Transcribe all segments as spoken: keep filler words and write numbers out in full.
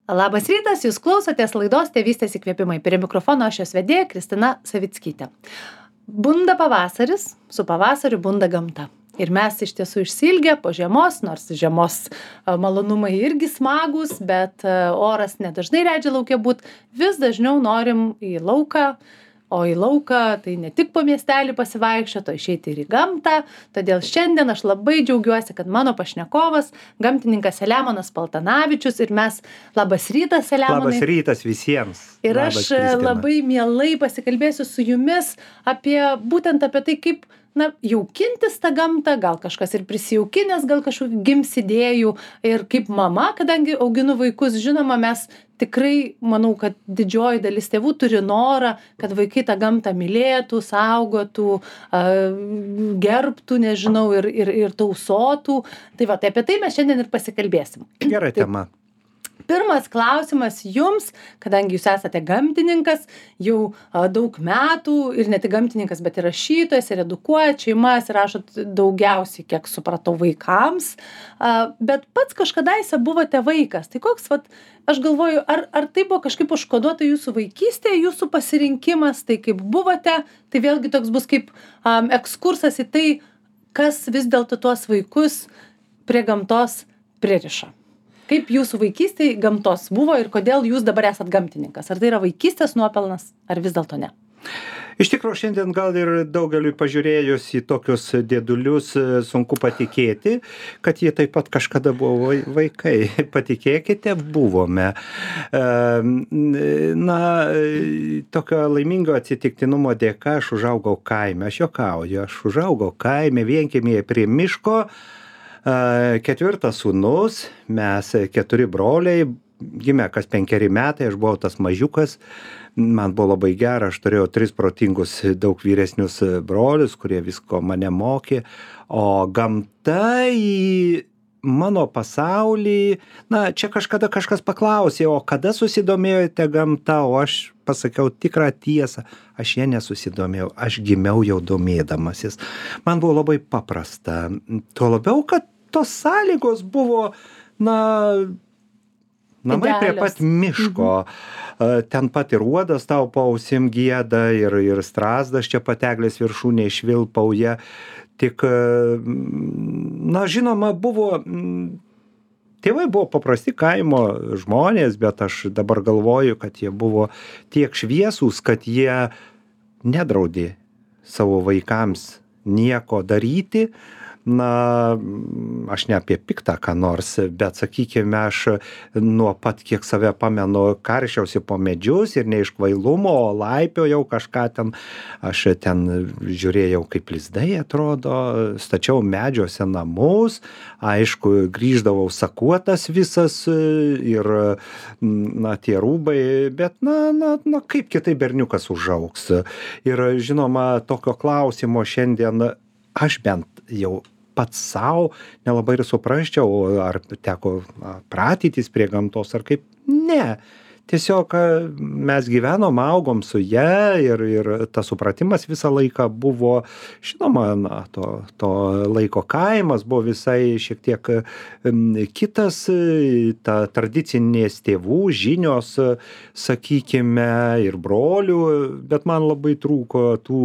Labas rytas, jūs klausotės laidos Tėvystės įkvėpimai. Prie mikrofono aš jos vedėja Kristina Savickytė. Bunda pavasaris, su pavasariu bunda gamta. Ir mes iš tiesų išsilgę po žiemos, nors žiemos malonumai irgi smagus, bet oras nedažnai leidžia lauke būt, vis dažniau norim į lauką. O į lauką tai ne tik po miestelį pasivaikščioti, o išeiti ir į gamtą. Todėl šiandien aš labai džiaugiuosi, kad mano pašnekovas, gamtininkas Selemonas Paltanavičius ir mes, labas rytas, Selemonai. Labas rytas visiems. Ir Labas, aš Kristina. labai mielai pasikalbėsiu su jumis apie, būtent apie tai, kaip na, jaukintis tą gamtą, gal kažkas ir prisijaukinęs, gal kažkokių gims idėjų. Ir kaip mama, kadangi auginu vaikus, žinoma, mes tikrai, manau, kad didžioji dalis tėvų turi norą, kad vaikai tą gamtą mylėtų, saugotų, gerbtų, nežinau, ir, ir, ir tausotų. Tai va, tai apie tai mes šiandien ir pasikalbėsim. Gera tema. Pirmas klausimas jums, kadangi jūs esate gamtininkas, jau a, daug metų ir ne tik gamtininkas, bet ir rašytojas, ir edukuojat šeimas, ir rašot daugiausiai, kiek supratau, vaikams, a, bet pats kažkadaise buvote vaikas. Tai koks, vat, aš galvoju, ar, ar tai buvo kažkaip užkoduota jūsų vaikystėje, jūsų pasirinkimas, tai kaip buvote, tai vėlgi toks bus kaip um, ekskursas į tai, kas vis dėlto tuos vaikus prie gamtos pririša. Kaip jūsų vaikystėje gamtos buvo ir kodėl jūs dabar esat gamtininkas? Ar tai yra vaikystės nuopelnas, ar vis dėlto ne? Iš tikrųjų, šiandien gal ir daugeliui pažiūrėjus į tokius dėdulius sunku patikėti, kad jie taip pat kažkada buvo vaikai. Patikėkite, buvome. Na, tokio laimingo atsitiktinumo dėka aš užaugau kaime. Aš juokauju, aš užaugau kaime, vienkiemėje prie miško. Ketvirtas sūnus, mes keturi broliai, gimė kas penkeri metai, aš buvau tas mažiukas, man buvo labai gera, aš turėjau tris protingus, daug vyresnius brolius, kurie visko mane mokė, o gamta į mano pasaulį, na, čia kažkada kažkas paklausė, o kada susidomėjote gamta, o aš pasakiau tikrą tiesą, aš ją nesusidomėjau, aš gimiau jau domėdamasis. Man buvo labai paprasta, tuo labiau, kad tos sąlygos buvo, na, namai prie pat miško, mhm. Ten pat ir uodas tau pausim gieda, ir, ir strazdas čia pateglės viršūnėje švilpauja. Tik, na, žinoma, buvo, tėvai buvo paprasti kaimo žmonės, bet aš dabar galvoju, kad jie buvo tiek šviesūs, kad jie nedraudė savo vaikams nieko daryti. Na, aš ne apie piktą ką nors, bet sakykime, aš nuo pat, kiek save pamenu, karščiausi po medžius ir ne iš kvailumo, o laipiojau kažką ten, aš ten žiūrėjau, kaip lizdai atrodo, stačiau medžiuose namus, aišku, grįždavau sakuotas visas ir, na, tie rūbai, bet, na, na, na kaip kitai berniukas užaugs. Ir, žinoma, tokio klausimo šiandien aš bent jau pats savo nelabai ir suprasčiau, ar teko pratytis prie gamtos, ar kaip. Ne. Tiesiog mes gyvenom, augom su ja ir, ir tas supratimas visą laiką buvo, žinoma, na, to, to laiko kaimas buvo visai šiek tiek kitas, ta tradicinės tėvų žinios, sakykime, ir brolių, bet man labai trūko tų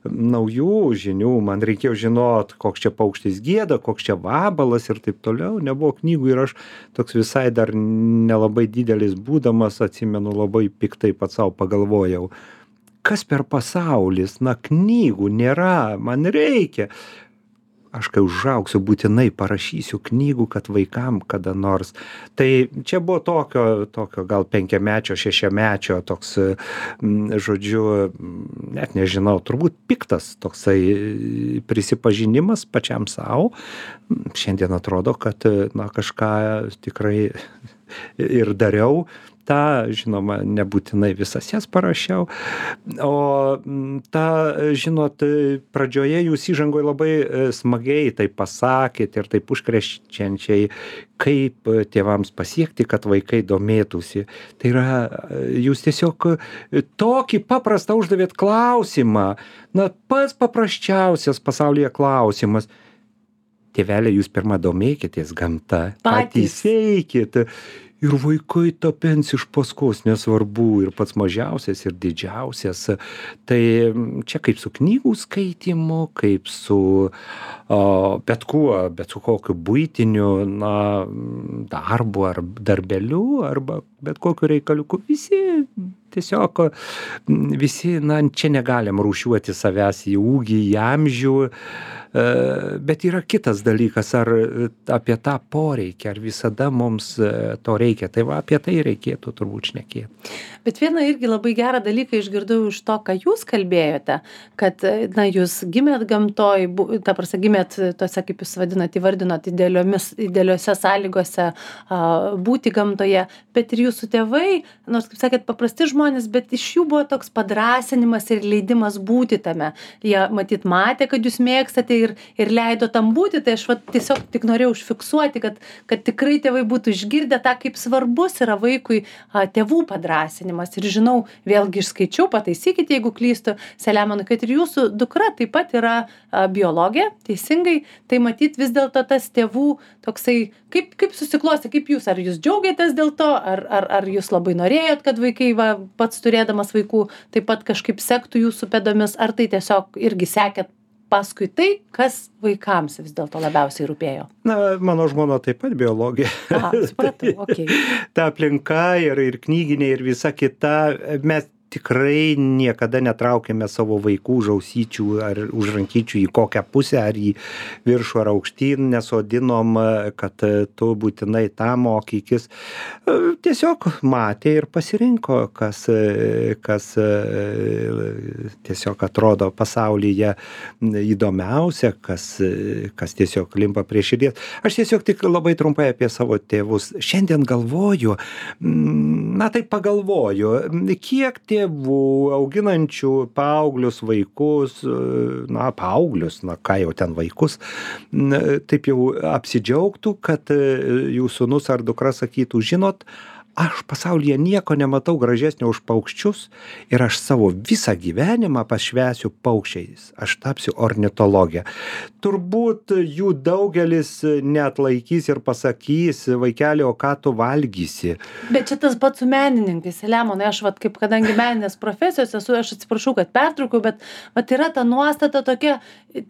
naujų žinių, man reikėjo žinot, koks čia paukštis gieda, koks čia vabalas ir taip toliau, nebuvo knygų ir aš toks visai dar nelabai didelis būdamas, atsimenu, labai piktai pats savo pagalvojau, kas per pasaulis, na, knygų nėra, man reikia. Aš kai užaugsiu, būtinai parašysiu knygų, kad vaikam kada nors. Tai čia buvo tokio, tokio gal penkiamečio, šešiamečio toks, žodžiu, net nežinau, turbūt piktas toksai prisipažinimas pačiam savo. Šiandien atrodo, kad, na, kažką tikrai ir dariau. Ta, žinoma, nebūtinai visas jas parašiau, o ta, žinot, pradžioje jūs įžangoje labai smagiai tai pasakėt ir taip užkrečiančiai, kaip tėvams pasiekti, kad vaikai domėtųsi. Tai yra, jūs tiesiog tokį paprastą uždavėt klausimą, na, pats paprasčiausias pasaulyje klausimas. Tėvelė, jūs pirmą domėkitės gamta, patys eikit. ir vaikai tapens iš paskos, nesvarbu, ir pats mažiausias, ir didžiausias. Tai čia kaip su knygų skaitymu, kaip su o, bet kuo, bet su kokiu buitiniu, na, darbu ar darbeliu, arba bet kokiu reikaliuku. Visi tiesiog, visi, na, čia negalim rūšiuoti savęs į ūgį, į amžių. Bet yra kitas dalykas, ar apie tą poreikį, ar visada mums to reikia. Tai va, apie tai reikėtų turbūt šnekėti. Bet vieną irgi labai gerą dalyką išgirdau iš to, ką jūs kalbėjote, kad, na, jūs gimėt gamtoj, ta prasme, gimėt tose, kaip jūs vadinat, įvardinot, idealiomis, idealiose sąlygose a, būti gamtoje, bet ir jūsų tėvai, nors, kaip sakėt, paprasti žmonės, bet iš jų buvo toks padrąsinimas ir leidimas būti tame. Jie, matyt, matė, kad jūs mėgstate ir, ir leido tam būti, tai aš va, tiesiog tik norėjau užfiksuoti, kad, kad tikrai tėvai būtų išgirdę tą, kaip svarbus yra vaikui a, tėvų padrąsinimas. Ir žinau, vėlgi išskaičiau, pataisykite, jeigu klystu, Selemonai, kad ir jūsų dukra taip pat yra a, biologė, teisingai, tai matyt vis dėlto tas tėvų toksai, kaip, kaip susiklosti, kaip jūs, ar jūs džiaugiatės dėl to, ar, ar, ar jūs labai norėjot, kad vaikai, va, pats turėdamas vaikų, taip pat kažkaip sektų jūsų pėdomis, ar tai tiesiog irgi sekėt paskui tai, kas vaikams vis dėlto labiausiai rūpėjo? Na, mano žmona taip pat biologė. Aha, supratau, okei. Ta aplinka ir, ir knyginė ir visa kita, mes tikrai niekada netraukėme savo vaikų už ausyčių ar už rankyčių į kokią pusę, ar į viršų ar aukštyn, nesodinom, kad tu būtinai tą mokykis. Tiesiog matė ir pasirinko, kas, kas tiesiog atrodo pasaulyje įdomiausia, kas, kas tiesiog limpa prie širdies. Aš tiesiog tik labai trumpai apie savo tėvus. Šiandien galvoju, na tai pagalvoju, kiek tėvų auginančių paauglius vaikus, na, paauglius, na, ką jau ten vaikus, taip jau apsidžiaugtų, kad jų sūnus ar dukra sakytų, žinot, aš pasaulyje nieko nematau gražesnio už paukščius ir aš savo visą gyvenimą pašvęsiu paukščiais. Aš tapsiu ornitologė. Turbūt jų daugelis neatlaikys ir pasakys, vaikeli, o ką tu valgysi. Bet čia tas pats su menininkais, Selemonai, aš vat, kaip kadangi meninės profesijos esu, aš atsiprašau, kad pertraukiau, bet vat yra ta nuostata tokia,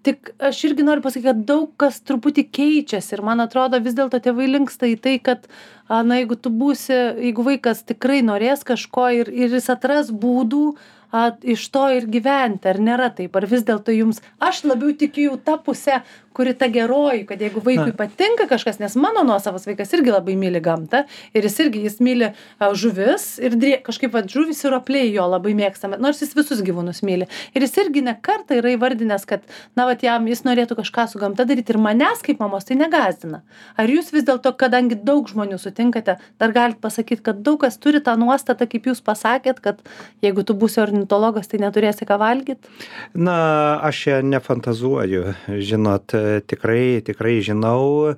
tik aš irgi noriu pasakyti, kad daug kas truputį keičiasi ir man atrodo vis dėlto tėvai linksta į tai, kad na, jeigu tu būsi, jeigu vaikas tikrai norės kažko ir, ir jis atras būdų a, iš to ir gyventi, ar nėra taip, ar vis dėlto jums, aš labiau tikiu jau tą pusę, kuri ta geroji, kad jeigu vaikui Na. patinka kažkas, nes mano nuosavas vaikas irgi labai myli gamtą ir jis irgi, jis myli a, žuvis ir drė, kažkaip va, žuvis ir ropliai jo labai mėgstame, nors jis visus gyvūnus myli. Ir jis irgi ne kartą yra įvardinęs, kad, na, vat jam jis norėtų kažką su gamta daryti ir manęs kaip mamos tai negąsdina. Ar jūs vis dėlto, kadangi daug žmonių sutinkate, dar galit pasakyti, kad daug kas turi tą nuostatą, kaip jūs pasakėt, kad jeigu tu būsi ornitologas, tai neturėsi ką valgyti? Na, aš čia nefantazuoju, žinot, tikrai, tikrai žinau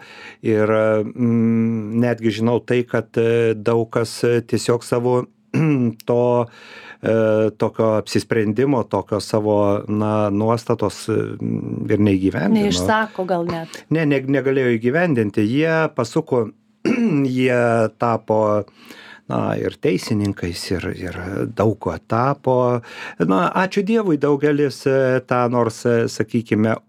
ir mm, netgi žinau tai, kad daug kas tiesiog savo to e, tokio apsisprendimo, tokio savo, na, nuostatos ir neįgyvendino. Neišsako gal net. Ne, ne, negalėjo įgyvendinti. Jie pasuko, jie tapo na, ir teisininkais, ir, ir daug ko tapo. Na, ačiū Dievui, daugelis tą nors, sakykime,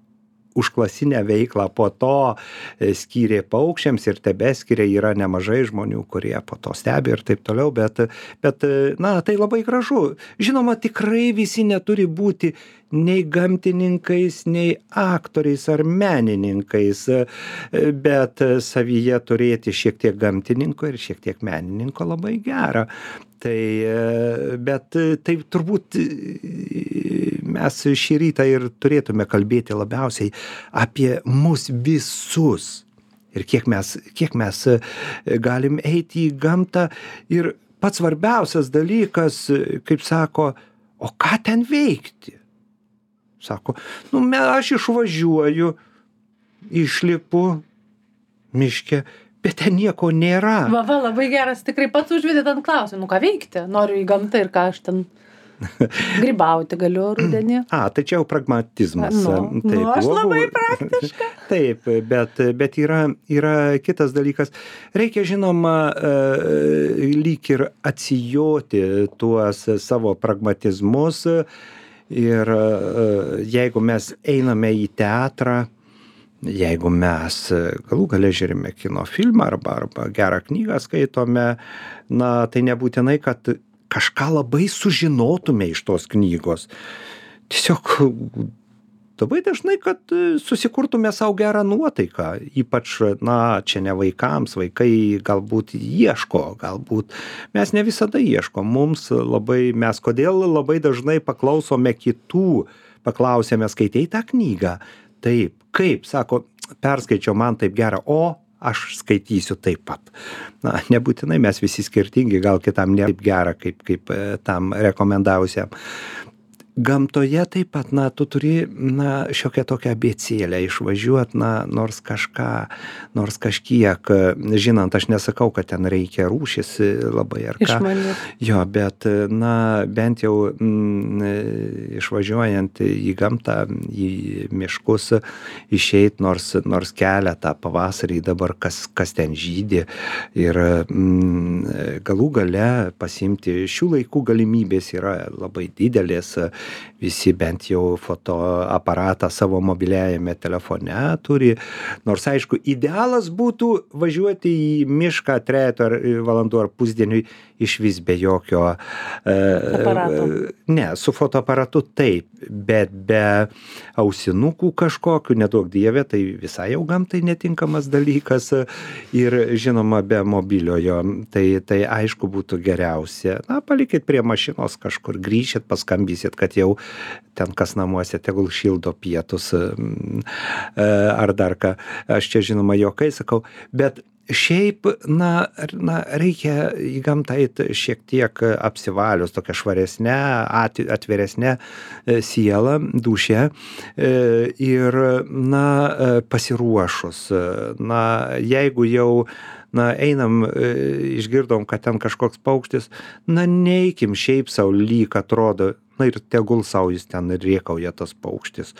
užklasinę veiklą po to skyrė paukščiams ir tebeskiria, yra nemažai žmonių, kurie po to stebi ir taip toliau, bet, bet na, tai labai gražu. Žinoma, tikrai visi neturi būti nei gamtininkais, nei aktoriais ar menininkais, bet savyje turėti šiek tiek gamtininko ir šiek tiek menininko labai gera. Tai, bet taip turbūt mes šį rytą ir turėtume kalbėti labiausiai apie mus visus. Ir kiek mes, kiek mes galim eiti į gamtą. Ir pats svarbiausias dalykas, kaip sako, o ką ten veikti? Sako, nu, aš išvažiuoju, išlipu miške, bet ten nieko nėra. Va, va, labai geras, tikrai pats užvedėt ant klausimų, nu ką veikti, noriu į gamtą ir ką aš ten. Grybauti galiu rudenį. A, tai čia jau pragmatizmas. Nu, nu, aš labai praktiška. Taip, bet, bet yra, yra kitas dalykas. Reikia, žinoma, e, lyg ir atsijoti tuos savo pragmatizmus ir e, jeigu mes einame į teatrą, jeigu mes galų gale žiūrime kino filmą arba, arba gerą knygą skaitome, na, tai nebūtinai, kad kažką labai sužinotume iš tos knygos. Tiesiog labai dažnai, kad susikurtume savo gerą nuotaiką. Ypač, na, čia ne vaikams, vaikai galbūt ieško, galbūt mes ne visada ieškom. Mums labai, mes kodėl labai dažnai paklausome kitų, paklausėme, skaitei tą knygą? Taip, kaip, sako, perskaičiau, man taip gera, o aš skaitysiu taip pat. Na, nebūtinai mes visi skirtingi, gal kitam ne taip gera, kaip, kaip tam rekomendavusiam. Gamtoje taip pat, na, tu turi, na, šiokią tokią abėcėlę išvažiuot, na, nors kažką, nors kažkiek, žinant, aš nesakau, kad ten reikia rūšis labai ar ką. Išmanyti. Jo, bet, na, bent jau mm, išvažiuojant į gamtą, į miškus, išeit nors, nors keletą pavasarį dabar, kas, kas ten žydi ir mm, galų gale pasiimti šių laikų galimybės yra labai didelės. Visi bent jau fotoaparatą savo mobiliajame telefone turi. Nors, aišku, idealas būtų važiuoti į mišką trejetą valandų ar pusdieniui išvis be jokio aparato. E, ne, su fotoaparatu taip, bet be ausinukų kažkokių, nedaug dievė, tai visai jau gamtai netinkamas dalykas ir, žinoma, be mobiliojo. Tai, tai aišku būtų geriausia. Na, palikit prie mašinos kažkur, grįšit, paskambysit, kad jau ten kas namuose, tegul šildo pietus ar dar ką. Aš čia, žinoma, juokai sakau, bet šiaip, na, na, reikia į gamtą eiti šiek tiek apsivalius, tokia švaresnė, atviresnė siela, dūšia ir, na, pasiruošus. Na, jeigu jau, na, einam, išgirdom, kad ten kažkoks paukštis, na, neikim šiaip sau lyg atrodo, na ir tegul sau jis ten rėkauja tas paukštis.